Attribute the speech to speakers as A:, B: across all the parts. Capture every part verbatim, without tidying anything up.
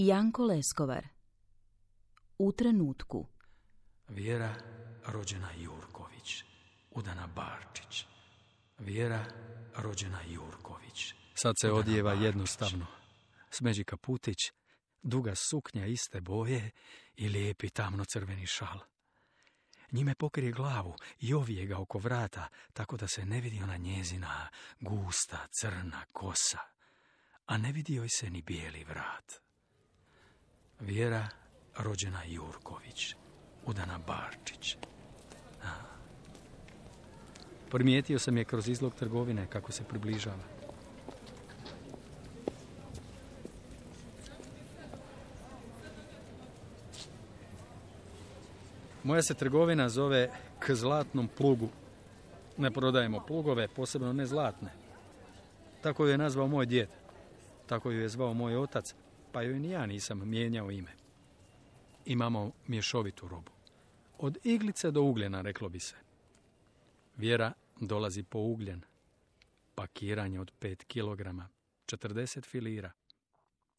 A: Janko Leskovar. U trenutku.
B: Vjera rođena Jurković, udana Barčić. Vjera rođena Jurković.
C: Sad se odjeva jednostavno. Smeđi kaputić, duga suknja iste boje i lijepi tamno-crveni šal. Njime pokrije glavu i ovije ga oko vrata, tako da se ne vidi ona njezina gusta, crna kosa, a ne vidi joj se ni bijeli vrat. Vjera rođena Jurković, udana Barčić. A. Primijetio sam je kroz izlog trgovine kako se približava. Moja se trgovina zove K zlatnom plugu. Ne prodajemo plugove, posebno ne zlatne. Tako ju je nazvao moj djed. Tako ju je zvao moj otac, pa joj ni ja nisam mijenjao ime. Imamo mješovitu robu. Od iglice do ugljena, reklo bi se. Vjera dolazi po ugljen. Pakiranje od pet kilograma, četrdeset filira.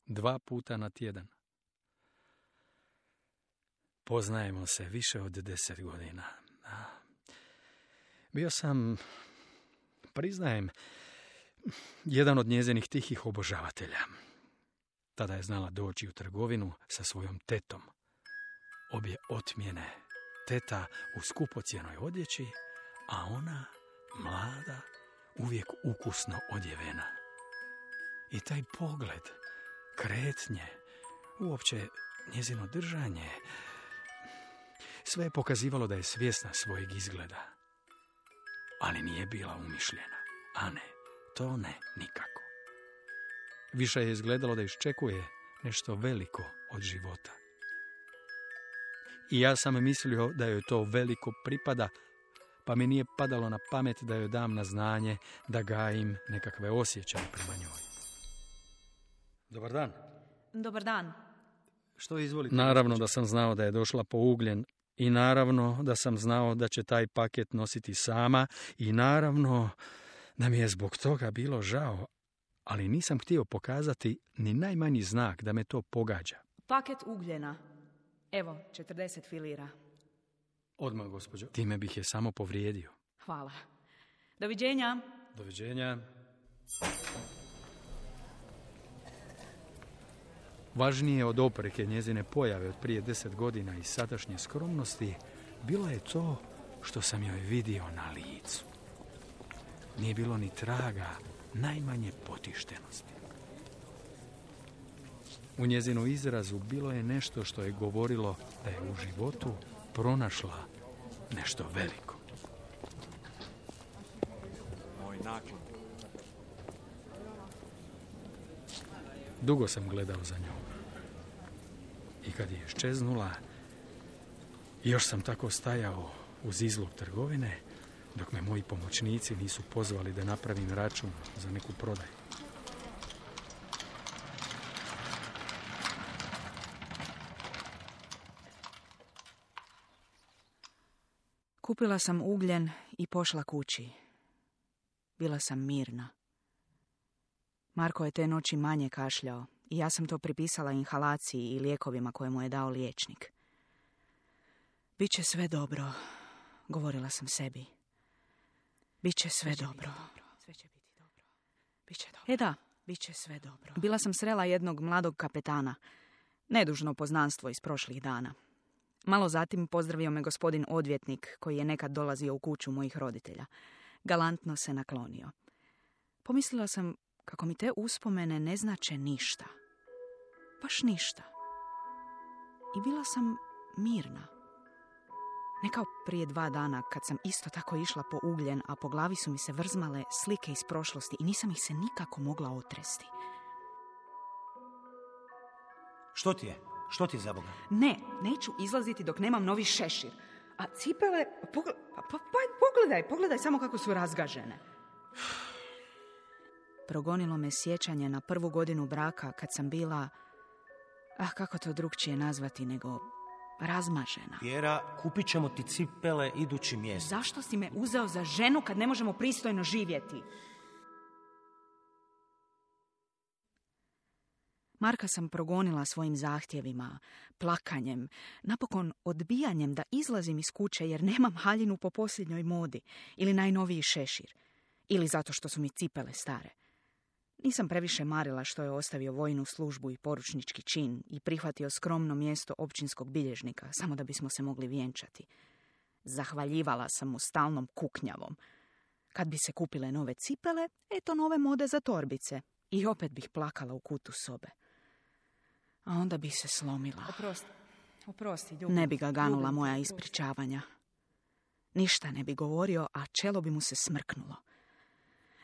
C: Dva puta na tjedan. Poznajemo se više od deset godina. Bio sam, priznajem, jedan od njezinih tihih obožavatelja. Tada je znala doći u trgovinu sa svojom tetom. Obje otmjene, teta u skupocjenoj odjeći, a ona, mlada, uvijek ukusno odjevena. I taj pogled, kretnje, uopće njezino držanje, sve je pokazivalo da je svjesna svojeg izgleda. Ali nije bila umišljena. A ne, to ne, nikako. Više je izgledalo da iščekuje nešto veliko od života. I ja sam mislio da joj to veliko pripada, pa mi nije padalo na pamet da joj dam na znanje da gajim nekakve osjećaje prema njoj. Dobar dan.
D: Dobar dan.
C: Što izvolite? Naravno da sam znao da je došla po ugljen i naravno da sam znao da će taj paket nositi sama i naravno da mi je zbog toga bilo žao, ali nisam htio pokazati ni najmanji znak da me to pogađa.
D: Paket ugljena. Evo, četrdeset filira.
C: Odmah, gospođo. Time bih je samo povrijedio.
D: Hvala. Doviđenja.
C: Doviđenja. Važnije od opreke njezine pojave od prije deset godina i sadašnje skromnosti, bilo je to što sam joj vidio na licu. Nije bilo ni traga najmanje potištenosti. U njezinu izrazu bilo je nešto što je govorilo da je u životu pronašla nešto veliko.
E: Moj naklon.
C: Dugo sam gledao za njom. I kad je iščeznula, još sam tako stajao uz izlog trgovine, dok me moji pomoćnici nisu pozvali da napravim račun za neku prodaju.
D: Kupila sam ugljen i pošla kući. Bila sam mirna. Marko je te noći manje kašljao i ja sam to pripisala inhalaciji i lijekovima koje mu je dao liječnik. Biće sve dobro, govorila sam sebi. Biće sve, sve dobro. dobro. Sve će biti dobro. Biće dobro. E da, biće sve dobro. Bila sam srela jednog mladog kapetana, nedužno poznanstvo iz prošlih dana. Malo zatim pozdravio me gospodin odvjetnik koji je nekad dolazio u kuću mojih roditelja. Galantno se naklonio. Pomislila sam kako mi te uspomene ne znače ništa. Baš ništa. I bila sam mirna. Ne kao prije dva dana kad sam isto tako išla po ugljen, a po glavi su mi se vrzmale slike iz prošlosti i nisam ih se nikako mogla otresti.
E: Što ti je? Što ti je za Boga?
D: Ne, neću izlaziti dok nemam novi šešir. A cipele, pogled, pa, pa, pa, pogledaj, pogledaj samo kako su razgažene. Progonilo me sjećanje na prvu godinu braka kad sam bila, ah, kako to drugčije nazvati nego razmažena.
E: Vjera, kupit ćemo ti cipele idući mjesec.
D: Zašto si me uzeo za ženu kad ne možemo pristojno živjeti? Marka sam progonila svojim zahtjevima, plakanjem, napokon odbijanjem da izlazim iz kuće jer nemam haljinu po posljednjoj modi ili najnoviji šešir, ili zato što su mi cipele stare. Nisam previše marila što je ostavio vojnu službu i poručnički čin i prihvatio skromno mjesto općinskog bilježnika, samo da bismo se mogli vjenčati. Zahvaljivala sam mu stalnom kuknjavom. Kad bi se kupile nove cipele, eto nove mode za torbice. I opet bih plakala u kutu sobe. A onda bi se slomila.
A: Oprosti, oprosti, ljubim.
D: Ne bi ga ganula
A: Ljubim,
D: moja
A: oprosti.
D: ispričavanja. Ništa ne bi govorio, a čelo bi mu se smrknulo.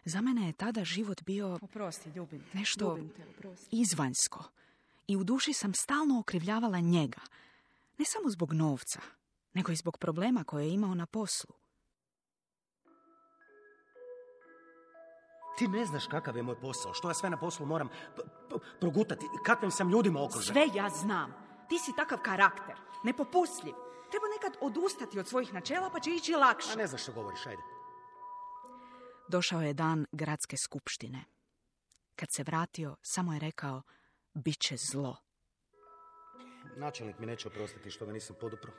D: Za mene je tada život bio
A: Oprosti, ljubim.
D: nešto
A: Ljubim te, oprosti.
D: izvanjsko. I u duši sam stalno okrivljavala njega. Ne samo zbog novca, nego i zbog problema koje je imao na poslu.
E: Ti ne znaš kakav je moj posao, što ja sve na poslu moram p- p- progutati, kakvim sam ljudima okružen.
D: Sve ja znam. Ti si takav karakter, nepopustljiv. Treba nekad odustati od svojih načela pa će ići lakše.
E: A ne znaš što govoriš, ajde.
D: Došao je dan gradske skupštine. Kad se vratio, samo je rekao, bit će zlo.
E: Načelnik mi neće oprostiti što ga nisam podupro.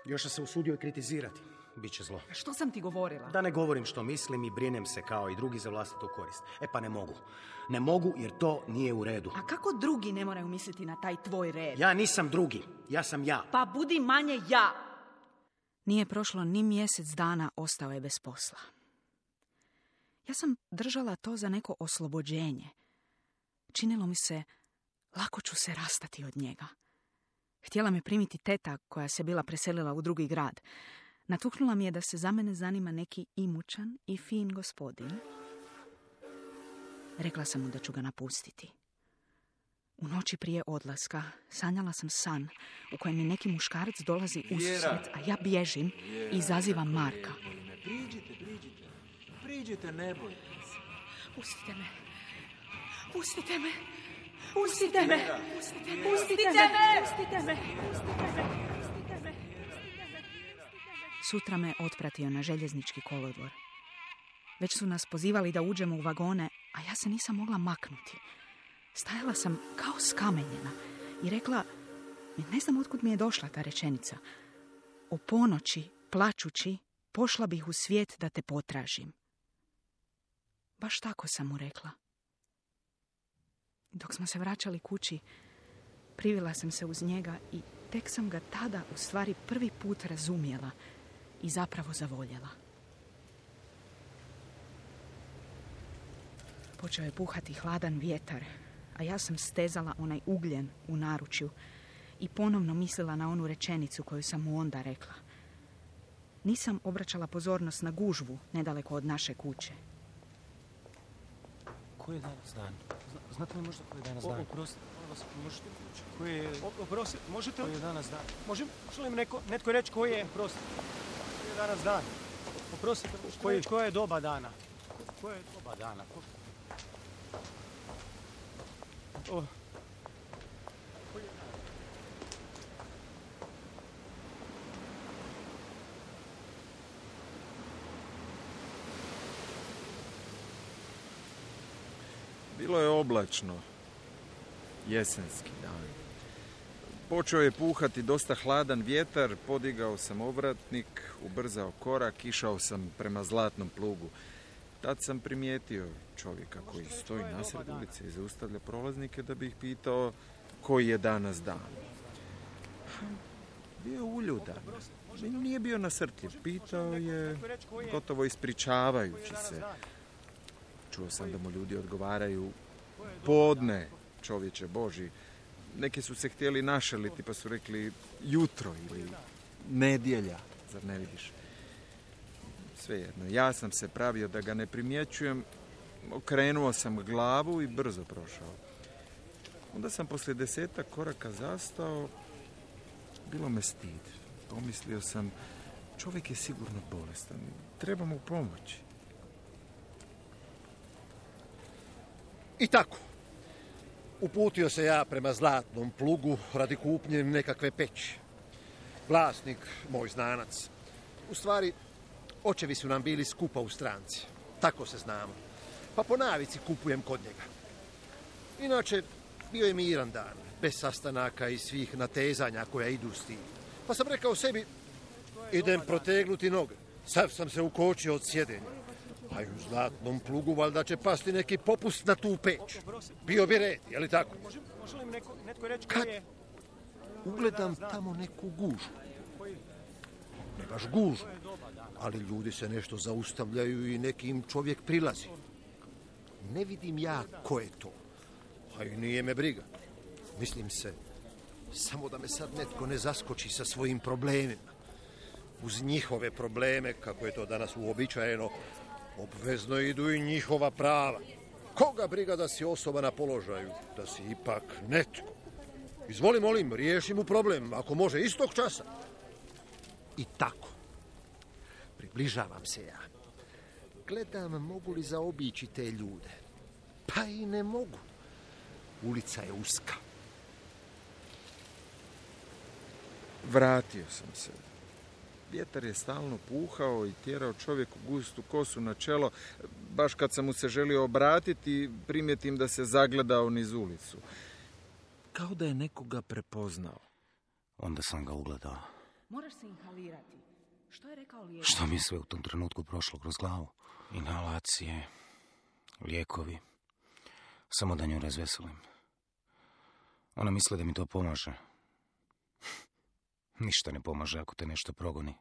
E: Još se usudio i kritizirati. Biće zlo.
D: Što sam ti govorila?
E: Da ne govorim što mislim i brinem se kao i drugi za vlastitu korist. E pa ne mogu. Ne mogu jer to nije u redu.
D: A kako drugi ne moraju misliti na taj tvoj red?
E: Ja nisam drugi. Ja sam ja.
D: Pa budi manje ja. Nije prošlo ni mjesec dana, ostao je bez posla. Ja sam držala to za neko oslobođenje. Činilo mi se, lako ću se rastati od njega. Htjela me primiti teta koja se bila preselila u drugi grad. Natuknula mi je da se za mene zanima neki imućan i fin gospodin. Rekla sam mu da ću ga napustiti. U noći prije odlaska sanjala sam san u kojem mi neki muškarac dolazi ususret, a ja bježim i izazivam Marka.
B: Priđite, priđite. Priđite, ne bojte se.
D: Pustite me. Pustite me. Pustite me. Pustite me. Pustite me. Pustite me. Pustite me. Sutra me otpratio na željeznički kolodvor. Već su nas pozivali da uđemo u vagone, a ja se nisam mogla maknuti. Stajala sam kao skamenjena i rekla, ne znam otkud mi je došla ta rečenica. O ponoći, plačući, pošla bih u svijet da te potražim. Baš tako sam mu rekla. Dok smo se vraćali kući, privila sam se uz njega i tek sam ga tada u stvari prvi put razumjela i zapravo zavoljela. Počeo je puhati hladan vjetar, a ja sam stezala onaj ugljen u naručju i ponovno mislila na onu rečenicu koju sam mu onda rekla. Nisam obraćala pozornost na gužvu nedaleko od naše kuće.
E: Koji je danas dan? Zna- Znate li možda koji je danas dan? Oprosti, molim vas, možete kući. Koji je... Oprosti, možete li... Koji je danas dan? Može, može li mi neko, netko reći koji je... Oprosti, koji je danas dan? Oprostite, koji, reći koje je doba dana? Koje je doba dana? Ko... O. Koji je dan?
F: Bilo je oblačno, jesenski dan. Počeo je puhati dosta hladan vjetar, podigao sam ovratnik, ubrzao korak, išao sam prema Zlatnom plugu. Tad sam primijetio čovjeka koji stoji nasred ulice i zaustavlja prolaznike da bi ih pitao koji je danas dan. Bio je uljudan, nije bio nasrtljiv, pitao je gotovo ispričavajući se. Čuo sam da mu ljudi odgovaraju podne, čovječe Boži. Neki su se htjeli našaliti pa su rekli jutro ili nedjelja, zar ne vidiš? Svejedno, ja sam se pravio da ga ne primjećujem, okrenuo sam glavu i brzo prošao. Onda sam poslije desetak koraka zastao, bilo me stid. Pomislio sam, čovjek je sigurno bolestan, treba mu pomoći.
G: I tako, uputio se ja prema Zlatnom plugu radi kupnje nekakve peći. Vlasnik, moj znanac. U stvari, očevi su nam bili skupa u stranci. Tako se znamo. Pa po navici kupujem kod njega. Inače, Bio je miran dan, bez sastanaka i svih natezanja koja idu s tim. Pa sam rekao sebi, idem protegnuti noge. Sav sam se ukočio od sjedenja. A i u Zlatnom plugu valjda će pasti neki popust na tu peć. Bio bi red, je li tako? Kad ugledam tamo neku gužu. Ne baš gužu, ali ljudi se nešto zaustavljaju i nekim čovjek prilazi. Ne vidim ja ko je to. A i nije me briga. Mislim se, samo da me sad netko ne zaskoči sa svojim problemima. Uz njihove probleme, kako je to danas uobičajeno, obvezno idu i njihova prava. Koga briga da si osoba na položaju, da si ipak netko. Izvoli, molim, riješi mu problem, ako može, istog časa. I tako. Približavam se ja. Gledam, mogu li zaobići te ljude. Pa i ne mogu. Ulica je uska.
F: Vratio sam se. Vjetar je stalno puhao i tjerao čovjeku gustu kosu na čelo. Baš kad sam mu se želio obratiti, primijetim da se zagledao niz ulicu. Kao da je nekoga prepoznao.
H: Onda sam ga ugledao.
D: Moraš se inhalirati. Što je rekao lijek?
H: Što mi je sve u tom trenutku prošlo kroz glavu? Inhalacije, lijekovi. Samo da nju razveselim. Ona misli da mi to pomaže. Ništa ne pomaže ako te nešto progoni.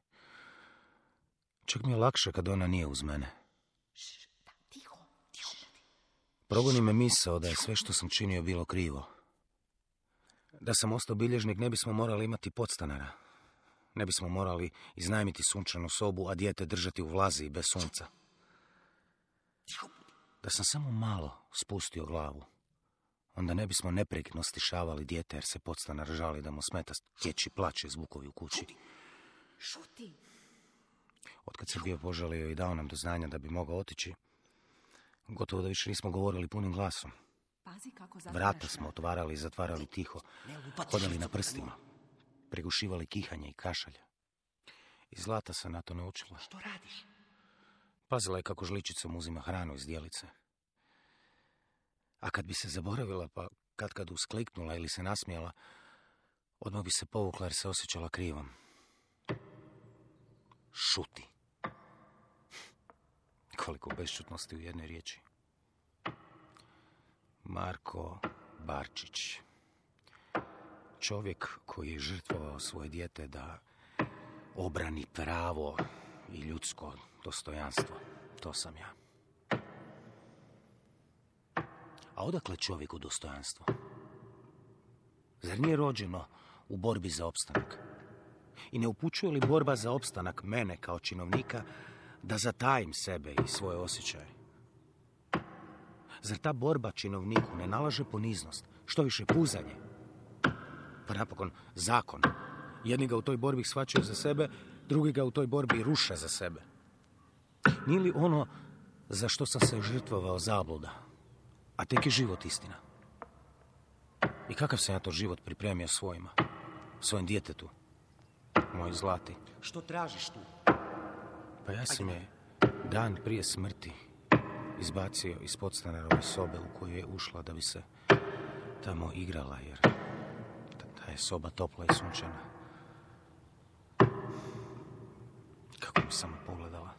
H: Čak mi je lakše kad ona nije uz mene.
D: Tiho, tiho.
H: Progoni me misao da je sve što sam činio bilo krivo. Da sam ostao bilježnik, ne bismo morali imati podstanara. Ne bismo morali iznajmiti sunčanu sobu, a dijete držati u vlazi i bez sunca. Da sam samo malo spustio glavu, onda ne bismo neprekidno stišavali dijete jer se podstanar žali da mu smeta dječji plać i zvukovi u kući.
D: Šuti.
H: Otkad se bio požalio i dao nam do znanja da bi mogao otići, gotovo da više nismo govorili punim glasom.
D: Pazi kako
H: Vrata smo otvarali i zatvarali tiho, hodali na prstima, prigušivali kihanje i kašalj. I Zlata se na to naučila.
D: Što radiš?
H: Pazila je kako žličicom uzima hranu iz dijelice. A kad bi se zaboravila, pa kad kad uskliknula ili se nasmijala, odmah bi se povukla jer se osjećala krivom. Šuti. Koliko bešćutnosti u jednoj riječi. Marko Barčić. Čovjek koji je žrtvovao svoje dijete da obrani pravo i ljudsko dostojanstvo. To sam ja. A odakle čovjeku dostojanstvo? Zar nije rođeno u borbi za opstanak? I ne upućuje li borba za opstanak mene kao činovnika da zatajim sebe i svoje osjećaje? Zar ta borba činovniku ne nalaže poniznost, što više puzanje? Pa napokon zakon. Jedni ga u toj borbi shvaćaju za sebe, drugi ga u toj borbi ruše za sebe. Nije li ono za što sam se žrtvovao zabluda, a tek je život istina? I kakav sam ja to život pripremio svojima, svojem djetetu, moj Zlati?
E: Što tražiš tu?
H: Pa ja sam je dan prije smrti izbacio iz podstanarove sobe u koju je ušla da bi se tamo igrala, jer ta je soba topla i sunčana. Kako mi samo pogledala.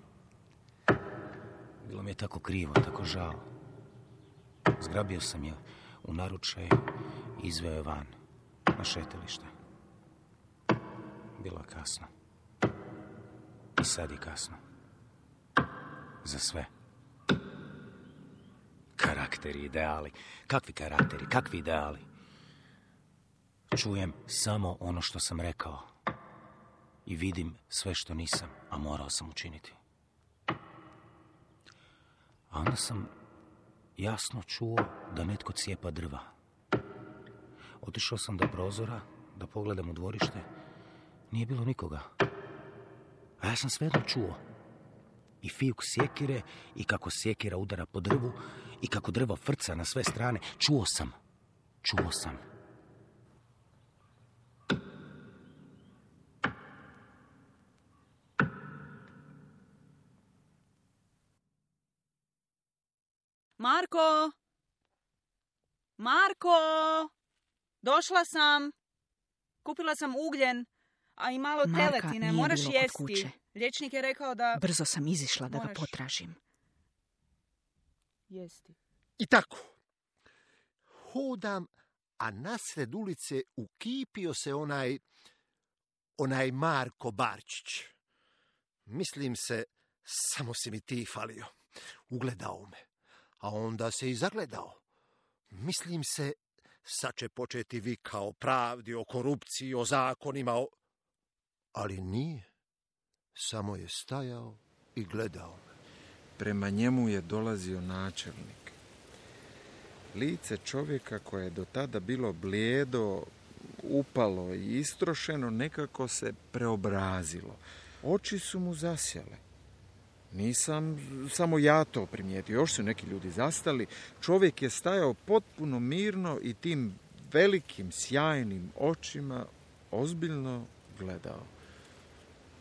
H: Bilo mi je tako krivo, tako žao. Zgrabio sam je u naručaj i izveo je van, na šetalište. Bilo je kasno. I sad je kasno. Za sve. Karakteri, ideali. Kakvi karakteri, kakvi ideali? Čujem samo ono što sam rekao. I vidim sve što nisam, a morao sam učiniti. A onda sam jasno čuo da netko cijepa drva. Otišao sam do prozora da pogledam u dvorište. Nije bilo nikoga. A ja sam svejedno čuo. I fijuk sjekire, i kako sjekira udara po drvu, i kako drvo frca na sve strane. Čuo sam. Čuo sam.
D: Marko! Marko! Došla sam. Kupila sam ugljen, a i malo Marka teletine. nije Moraš bilo kod jesti. kuće.
A: Liječnik je rekao da...
D: Brzo sam izišla da ga
A: Moraš.
D: potražim.
A: Jesti.
G: I tako. Hodam, a nasred ulice ukipio se onaj, onaj Marko Barčić. Mislim se, samo si mi ti falio. Ugledao me, a onda se i zagledao. Mislim se, sad će početi vika o pravdi, o korupciji, o zakonima, o... ali nije. Samo je stajao i gledao me.
F: Prema njemu je dolazio načelnik. Lice čovjeka koje je do tada bilo blijedo, upalo i istrošeno, nekako se preobrazilo. Oči su mu zasjale. Nisam samo ja to primijetio, još su neki ljudi zastali. Čovjek je stajao potpuno mirno i tim velikim, sjajnim očima ozbiljno gledao.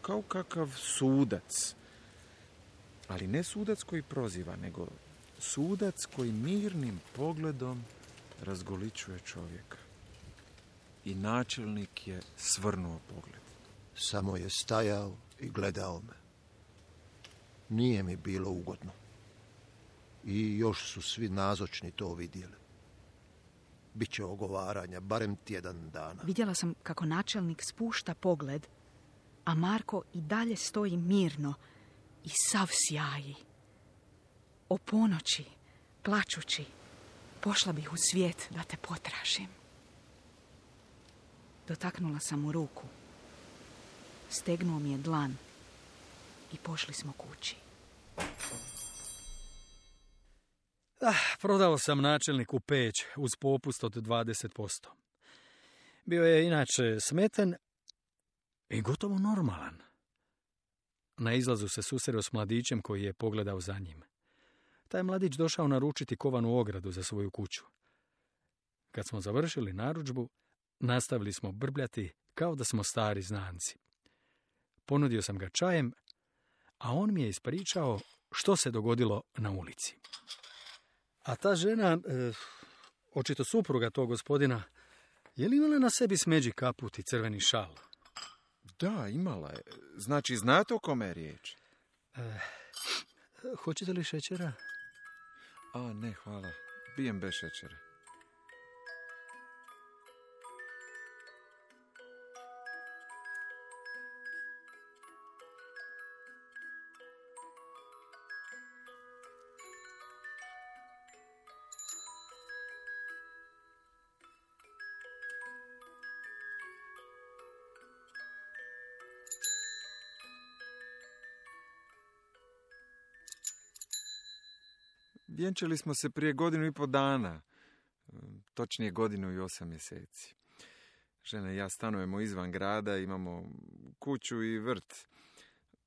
F: Kao kakav sudac. Ali ne sudac koji proziva, nego sudac koji mirnim pogledom razgoličuje čovjeka. I načelnik je svrnuo pogled.
G: Samo je stajao i gledao me. Nije mi bilo ugodno. I još su svi nazočni to vidjeli. Biće ogovaranja, barem tjedan dana.
D: Vidjela sam kako načelnik spušta pogled, a Marko i dalje stoji mirno i sav sjaji. O ponoći, plačući, pošla bih u svijet da te potražim. Dotaknula sam mu ruku. Stegnuo mi je dlan i pošli smo kući.
C: Ah, prodao sam načelniku peć uz popust od dvadeset posto. Bio je inače smeten i gotovo normalan. Na izlazu se susreo s mladićem koji je pogledao za njim. Taj mladić došao naručiti kovanu ogradu za svoju kuću. Kad smo završili narudžbu, nastavili smo brbljati kao da smo stari znanci. Ponudio sam ga čajem, a on mi je ispričao što se dogodilo na ulici. A ta žena, e, očito supruga tog gospodina, je li imala na sebi smeđi kaput i crveni šal?
F: Da, imala je. Znači, znate o kome je riječ?
C: E, hoćete li šećera?
F: A, ne, hvala. Pijem bez šećera. Vjenčali smo se prije godinu i pol dana, točnije godinu i osam mjeseci. Žena i ja stanujemo izvan grada, imamo kuću i vrt.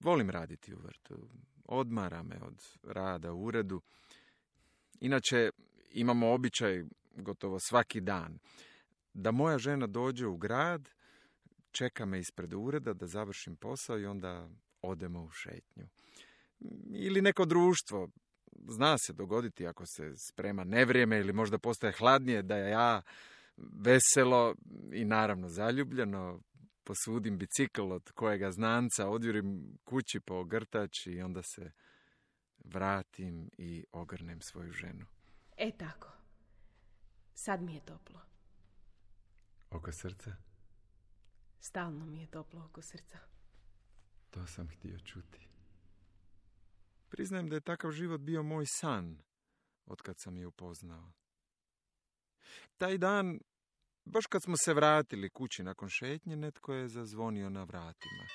F: Volim raditi u vrtu, odmara me od rada u uredu. Inače, imamo običaj gotovo svaki dan da moja žena dođe u grad, čeka me ispred ureda da završim posao i onda odemo u šetnju. Ili neko društvo. Zna se dogoditi ako se sprema nevrijeme ili možda postaje hladnije da ja veselo i naravno zaljubljeno posudim bicikl od kojega znanca, odjurim kući po ogrtač i onda se vratim i ogrnem svoju ženu.
A: E tako. Sad mi je toplo.
F: Oko srca?
A: Stalno mi je toplo oko srca.
F: To sam htio čuti. Priznajem da je takav život bio moj san, otkad sam je upoznao. Taj dan, baš kad smo se vratili kući nakon šetnje, netko je zazvonio na vratima.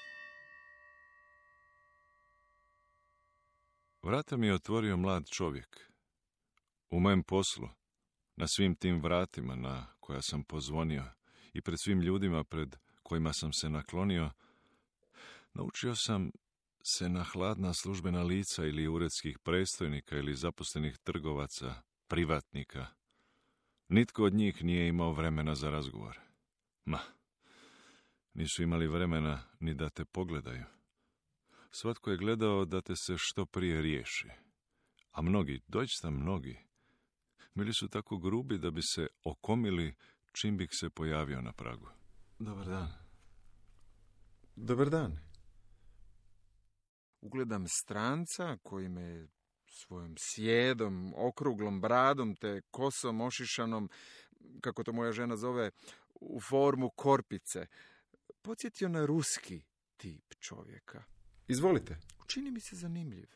I: Vrata mi je otvorio mlad čovjek. U mojem poslu, na svim tim vratima na koja sam pozvonio i pred svim ljudima pred kojima sam se naklonio, naučio sam se na hladna službena lica ili uredskih predstojnika ili zaposlenih trgovaca, privatnika. Nitko od njih nije imao vremena za razgovor. Ma, nisu imali vremena ni da te pogledaju. Svatko je gledao da te se što prije riješi. A mnogi, doista mnogi, Bili su tako grubi da bi se okomili čim bih se pojavio na pragu. Dobar dan.
F: Dobar dan. Ugledam stranca koji me svojom sjedom, okruglom bradom te kosom ošišanom, kako to moja žena zove, u formu korpice, podsjetio na ruski tip čovjeka. Izvolite. Čini mi se zanimljiv.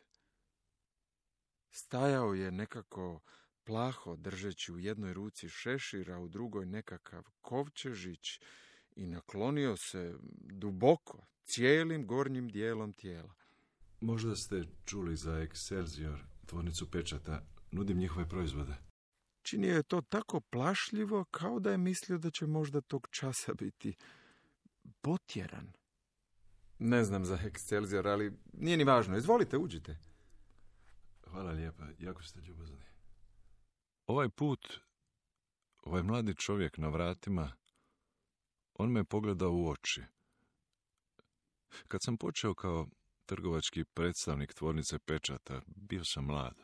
F: Stajao je nekako plaho, držeći u jednoj ruci šešir, a u drugoj nekakav kovčežić i naklonio se duboko, cijelim gornjim dijelom tijela.
I: Možda ste čuli za Excelsior, tvornicu pečata. Nudim njihove proizvode.
F: Činio je to tako plašljivo, kao da je mislio da će možda tog časa biti potjeran. Ne znam za Excelsior, ali nije ni važno. Izvolite, uđite.
I: Hvala lijepa, jako ste ljubazni. Ovaj put, ovaj mladi čovjek na vratima, on me pogledao u oči. Kad sam počeo kao trgovački predstavnik tvornice pečata, bio sam mlad.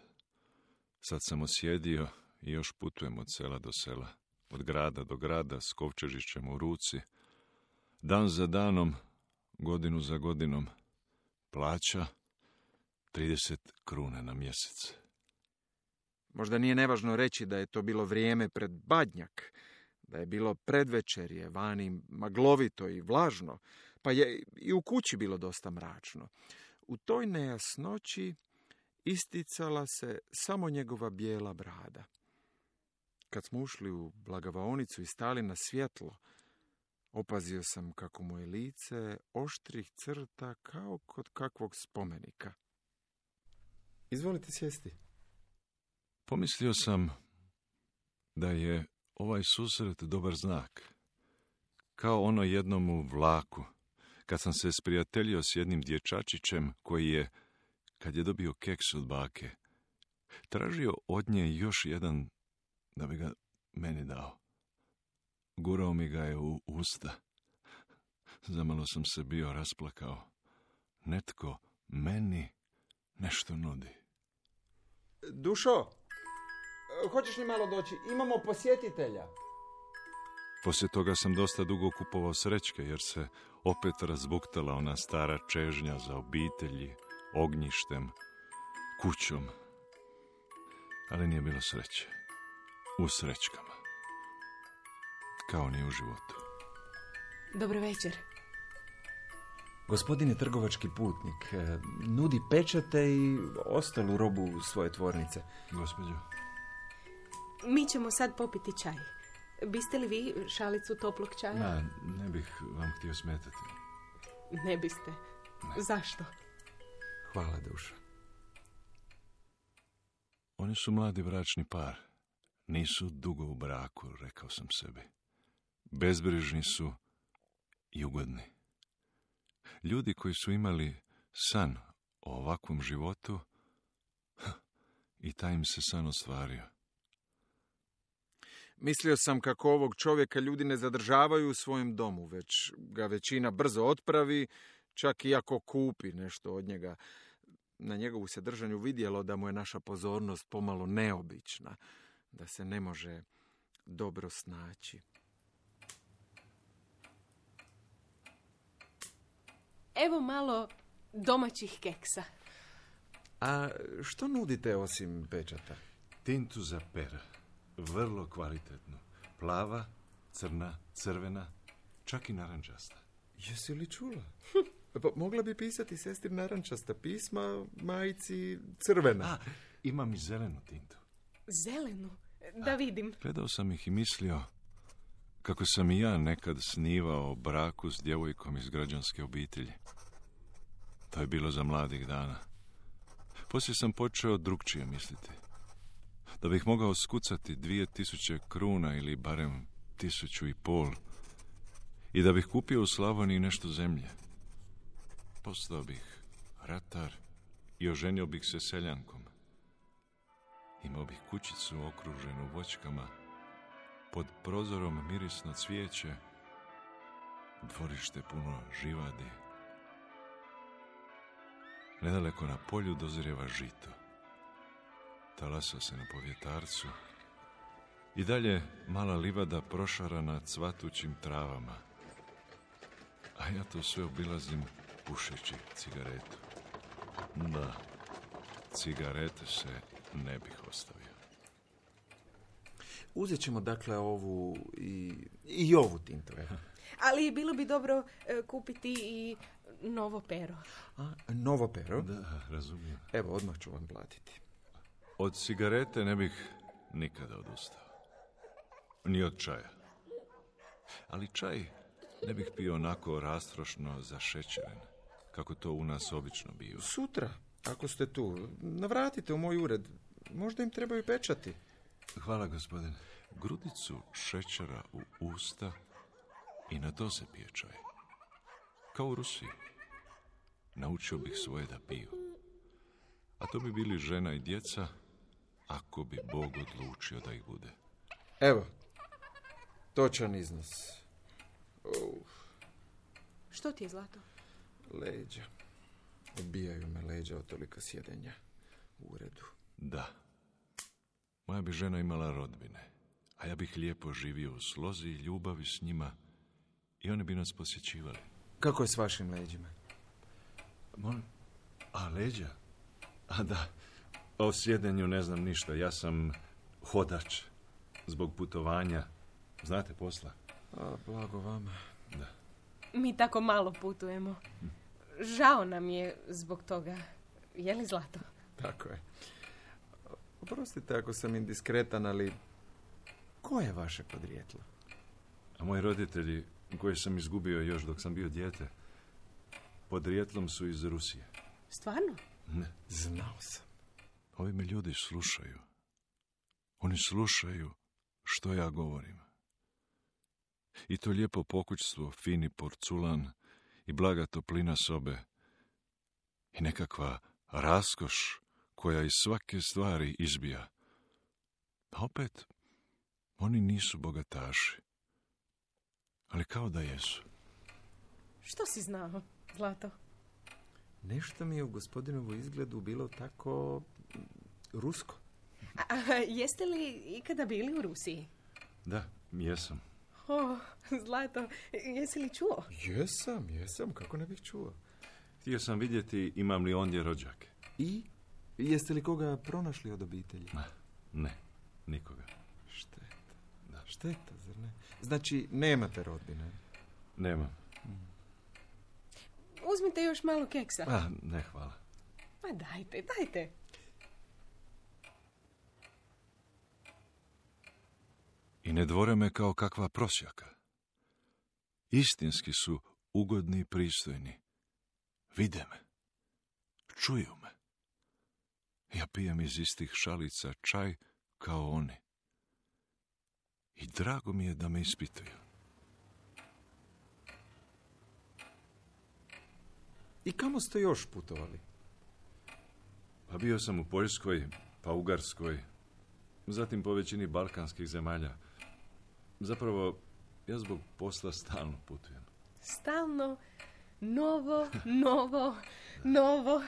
I: Sad sam osjedio i još putujem od sela do sela, od grada do grada, s kovčežićem u ruci. Dan za danom, godinu za godinom, plaća trideset kruna na mjesec.
F: Možda nije nevažno reći da je to bilo vrijeme pred Badnjak, da je bilo predvečerje, vani maglovito i vlažno, pa je i u kući bilo dosta mračno. U toj nejasnoći isticala se samo njegova bijela brada. Kad smo ušli u blagavaonicu i stali na svjetlo, opazio sam kako mu je lice oštrih crta kao kod kakvog spomenika. Izvolite sjesti.
I: Pomislio sam da je ovaj susret dobar znak. Kao ono jednom u vlaku, kad sam se sprijateljio s jednim dječačićem koji je, kad je dobio keks od bake, tražio od nje još jedan da bi ga meni dao. Gurao mi ga je u usta. Zamalo sam se bio rasplakao. Netko meni nešto nudi.
F: Dušo, hoćeš li malo doći? Imamo posjetitelja.
I: Poslije toga sam dosta dugo kupovao srećke, jer se opet razbuktala ona stara čežnja za obitelji, ognjištem, kućom. Ali nije bilo sreće. U srećkama. Kao ni u životu.
A: Dobro večer.
B: Gospodin je trgovački putnik. Nudi pečate i ostalu robu svoje tvornice.
I: Gospođo.
A: Mi ćemo sad popiti čaj. Biste li vi šalicu toplog čaja?
I: Na, ne bih vam htio smetati.
A: Ne biste. Ne. Zašto?
B: Hvala, Duša.
I: Oni su mladi bračni par. Nisu dugo u braku, rekao sam sebi. Bezbrižni su i ugodni. Ljudi koji su imali san o ovakvom životu, i taj im se san ostvario.
F: Mislio sam kako ovog čovjeka ljudi ne zadržavaju u svojem domu, već ga većina brzo otpravi, čak i ako kupi nešto od njega. Na njegovu se držanju vidjelo da mu je naša pozornost pomalo neobična, da se ne može dobro snaći.
A: Evo malo domaćih keksa.
F: A što nudite osim pečata?
I: Tintu za pera. Vrlo kvalitetnu. Plava, crna, crvena, čak i narančasta.
F: Jesi li čula? Pa mogla bi pisati sestri narančasta pisma, majici crvena.
I: A, imam i zelenu tintu.
A: Zelenu? Da vidim.
I: Gledao sam ih i mislio kako sam i ja nekad snivao o braku s djevojkom iz građanske obitelji. To je bilo za mladih dana. Poslije sam počeo drukčije misliti. Da bih mogao skucati dvije tisuće kruna ili barem tisuću i pol i da bih kupio u Slavoniji nešto zemlje. Postao bih ratar i oženio bih se seljankom. Imao bih kućicu okruženu voćkama, pod prozorom mirisno cvijeće, dvorište puno živadi. Nedaleko na polju dozrijeva žito. Talasa se na povjetarcu I dalje mala livada prošarana cvatućim travama. A ja to sve obilazim pušeći cigaretu. Da, cigarete se ne bih ostavio.
B: Uzet ćemo dakle ovu i, i ovu tintu.
A: Ali bilo bi dobro e, kupiti i novo pero.
B: A, novo pero?
I: Da, razumijem.
B: Evo, odmah ću vam platiti.
I: Od cigarete ne bih nikada odustao. Ni od čaja. Ali čaj ne bih pio onako rastrošno zašećeren, kako to u nas obično bio.
B: Sutra, ako ste tu, navratite u moj ured. Možda im trebaju pečati.
I: Hvala, gospodine. Grudicu šećera u usta i na to se pije čaj. Kao u Rusiji. Naučio bih svoje da piju. A to bi bili žena i djeca, ako bi Bog odlučio da ih bude.
B: Evo, točan iznos. Uf.
A: Što ti je, Zlato?
B: Leđa. Odbijaju me leđa od tolika sjedenja u uredu.
I: Da. Moja bi žena imala rodbine, a ja bih lijepo živio u slozi i ljubavi s njima i oni bi nas posjećivali.
B: Kako je s vašim leđima?
I: Molim? A, leđa? A da, o sjedenju ne znam ništa. Ja sam hodač zbog putovanja. Znate posla?
B: A, blago vama.
I: Da.
A: Mi tako malo putujemo. Žao nam je zbog toga. Je li, Zlato?
B: Tako je. Oprostite ako sam indiskretan, ali ko je vaše podrijetlo?
I: A moji roditelji, koje sam izgubio još dok sam bio dijete, podrijetlom su iz Rusije.
A: Stvarno?
I: Ne.
B: Znao sam.
I: Ovi me ljudi slušaju. Oni slušaju što ja govorim. I to lijepo pokućstvo, fini porculan i blaga toplina sobe i nekakva raskoš koja iz svake stvari izbija. A opet, oni nisu bogataši. Ali kao da jesu.
A: Što si znao, Zlato?
B: Nešto mi je u gospodinovu izgledu bilo tako rusko.
A: A, a jeste li ikada bili u Rusiji?
I: Da, jesam.
A: O, Zlato, jesi li čuo?
B: Jesam, jesam, kako ne bih čuo.
I: Htio sam vidjeti imam li ondje rođake.
B: I? Jeste li koga pronašli od obitelji?
I: Ne, ne, nikoga.
B: Šteta, da, šteta, zar ne? Znači, nemate rodbine?
I: Nemam.
A: Uzmite još malo keksa.
I: A, ne, hvala.
A: Pa dajte, dajte.
I: I ne dvore me kao kakva prosjaka. Istinski su ugodni i pristojni. Vide me. Čuju me. Ja pijem iz istih šalica čaj kao oni. I drago mi je da me ispituju.
B: I kamo ste još putovali?
I: Pa bio sam u Poljskoj, pa Ugarskoj, zatim po većini balkanskih zemalja. Zapravo, ja zbog posla stalno putujem.
A: Stalno, novo, novo, novo.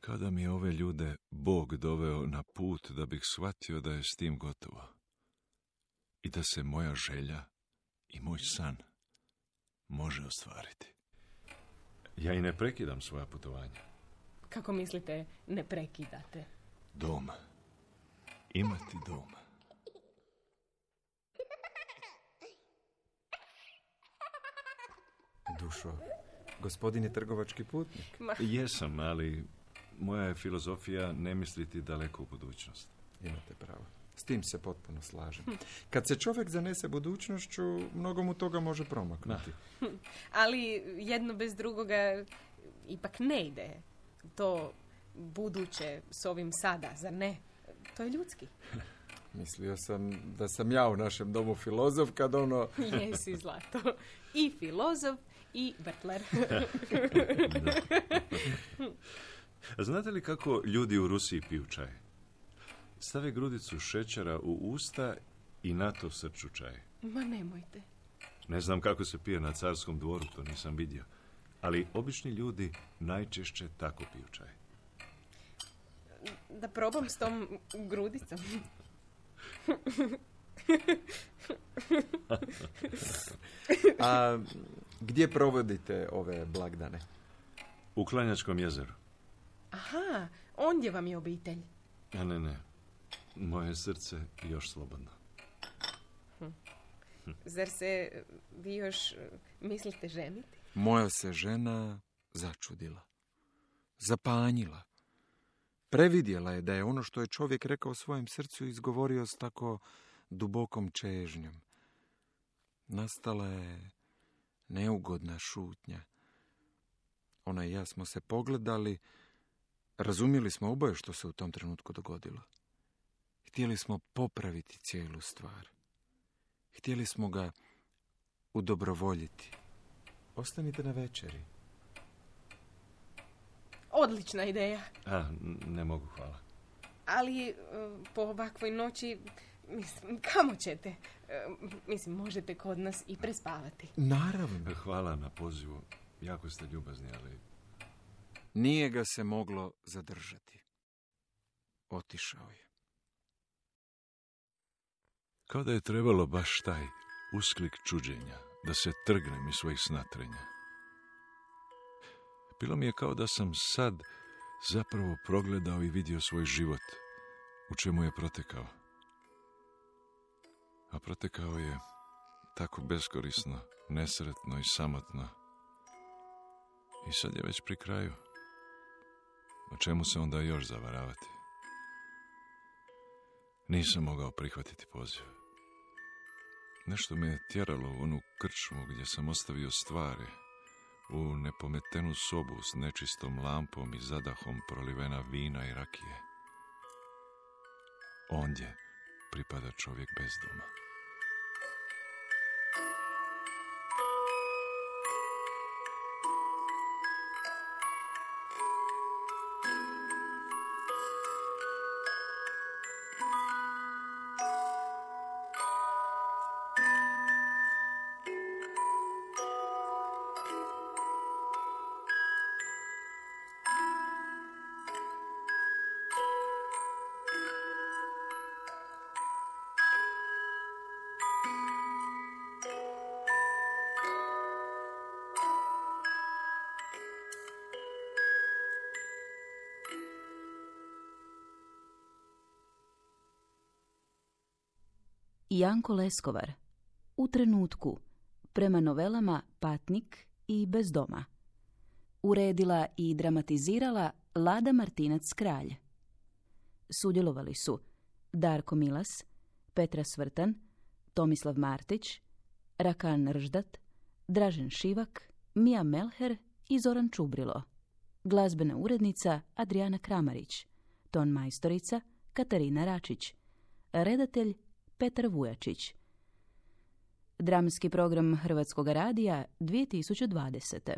I: Kada mi je ove ljude Bog doveo na put da bih shvatio da je s tim gotovo. I da se moja želja i moj san može ostvariti. Ja i ne prekidam svoja putovanja.
A: Kako mislite, ne prekidate?
I: Dom. Imati dom.
B: Dušo, gospodin je trgovački putnik.
A: Ma.
I: Jesam, ali moja je filozofija ne misliti daleko u budućnost.
B: Imate pravo. S tim se potpuno slažem. Kad se čovjek zanese budućnošću, mnogo mu toga može promaknuti.
A: Ali jedno bez drugoga ipak ne ide. To buduće s ovim sada, zar ne? To je ljudski.
B: Mislio sam da sam ja u našem domu filozof kad ono...
A: Jesi, Zlato. I filozof i vrtler.
I: Znate li kako ljudi u Rusiji piju čaj? Stave grudicu šećera u usta i na to srču čaj.
A: Ma nemojte.
I: Ne znam kako se pije na carskom dvoru, to nisam vidio. Ali obični ljudi najčešće tako piju čaj.
A: Da probam s tom grudicom.
B: A gdje provodite ove blagdane?
I: U Klanjačkom jezeru.
A: Aha, ondje vam je obitelj.
I: A ne, ne. Moje srce je još slobodno.
A: Hm. Zar se vi još mislite ženiti?
B: Moja se žena začudila. Zapanjila. Previdjela je da je ono što je čovjek rekao svojem srcu izgovorio s tako dubokom čežnjom. Nastala je neugodna šutnja. Ona i ja smo se pogledali, razumjeli smo oboje što se u tom trenutku dogodilo. Htjeli smo popraviti cijelu stvar. Htjeli smo ga udobrovoljiti. Ostanite na večeri.
A: Odlična ideja.
I: A, ne mogu, hvala.
A: Ali po ovakvoj noći, mislim, kamo ćete? Mislim, možete kod nas i prespavati.
B: Naravno.
I: Hvala na pozivu. Jako ste ljubazni, ali...
B: Nije ga se moglo zadržati. Otišao je.
I: Kao da je trebalo baš taj usklik čuđenja, da se trgnem iz svojih snatrenja. Bilo mi je kao da sam sad zapravo progledao i vidio svoj život, u čemu je protekao. A protekao je tako beskorisno, nesretno i samotno. I sad je već pri kraju. O čemu se onda još zavaravati? Nisam mogao prihvatiti poziv. Nešto me je tjeralo u onu krčmu gdje sam ostavio stvari, u nepometenu sobu s nečistom lampom i zadahom prolivena vina i rakije. Ondje pripada čovjek bez doma.
J: Janko Leskovar. U trenutku. Prema novelama Patnik i Bez doma. Uredila i dramatizirala Lada Martinac-Kralj. Sudjelovali su Darko Milas, Petra Svrtan, Tomislav Martić, Rakan Rždat, Dražen Šivak, Mija Melher i Zoran Čubrilo. Glazbena urednica Adriana Kramarić. Ton majstorica Katarina Račić. Redatelj Petar Vujačić. Dramski program Hrvatskog radija dvije tisuće dvadesete.